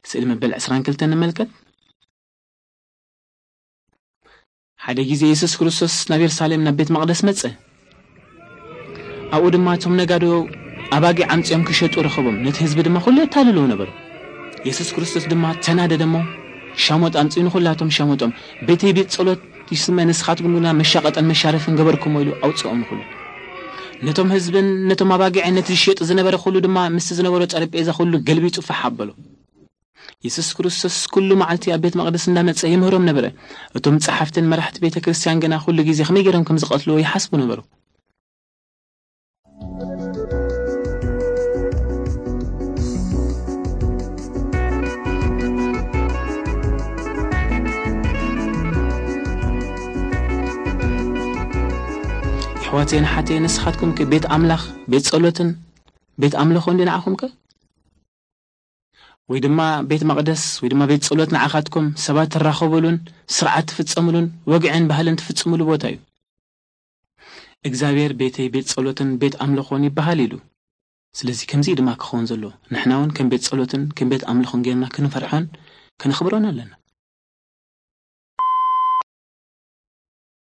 ስእሊ መበል ዕስራን ክልተን ንመልከት። ሓደ ግዜ የሱስ ክርስቶስ ናብ የሩሳሌም ናብ ቤት መቕደስ መጸ። ኣብኡ ድማ እቶም ነጋዶ ኣባጊዕ ኣምጺኦም ክሸጡ ረኸቦም፣ ነቲ ህዝቢ ድማ ኩሉ የታልልዎ ነበሩ። የሱስ ክርስቶስ ድማ ተናደደ እሞ ሻሞጥ ኣምጺኡ ንኹላቶም ሸመጦም። ቤተይ ቤት ጸሎት ይስመ፣ ንስኻትኩም ግና መሻቐጠን መሻረፍን ገበርኩሞ ኢሉ ኣውጽኦም ንኹሉ። ነቶም ህዝብን ነቶም ኣባጊዕን ነቲ ዝሸጡ ዝነበረ ኩሉ ድማ ምስቲ ዝነበሮ ጠረጴዛ ኩሉ ገልቢጡ ፋሕ ኣበሎ። የሱስ ክርስቶስ ኩሉ መዓልቲ ኣብ ቤት መቕደስ እንዳመጸ ይምህሮም ነበረ። እቶም ጸሓፍትን መራሕቲ ቤተ ክርስቲያን ግና ኩሉ ግዜ ከመይ ገይሮም ከም ዝቐትልዎ ይሓስቡ ነበሩ። ኣሕዋተይን ኣሓተይን፣ ንስኻትኩም ከ ቤት ኣምላኽ፣ ቤት ጸሎትን ቤት ኣምልኾን ድዩ ንዓኹም ከ? ወይ ድማ ቤት መቕደስ ወይ ድማ ቤት ጸሎት ንዓኻትኩም ሰባት ትራኸቡሉን ስርዓት ትፍጸሙሉን ወግዕን ባህልን ትፍጽሙሉ ቦታ እዩ። እግዚኣብሔር ቤተይ ቤት ጸሎትን ቤት ኣምልኾን ይበሃል ኢሉ። ስለዚ ከምዚ እዩ ድማ ክኸውን ዘለዎ። ንሕና እውን ከም ቤት ጸሎትን ከም ቤት ኣምልኾን ጌርና ክንፈርሖን ከነኽብሮን ኣለና።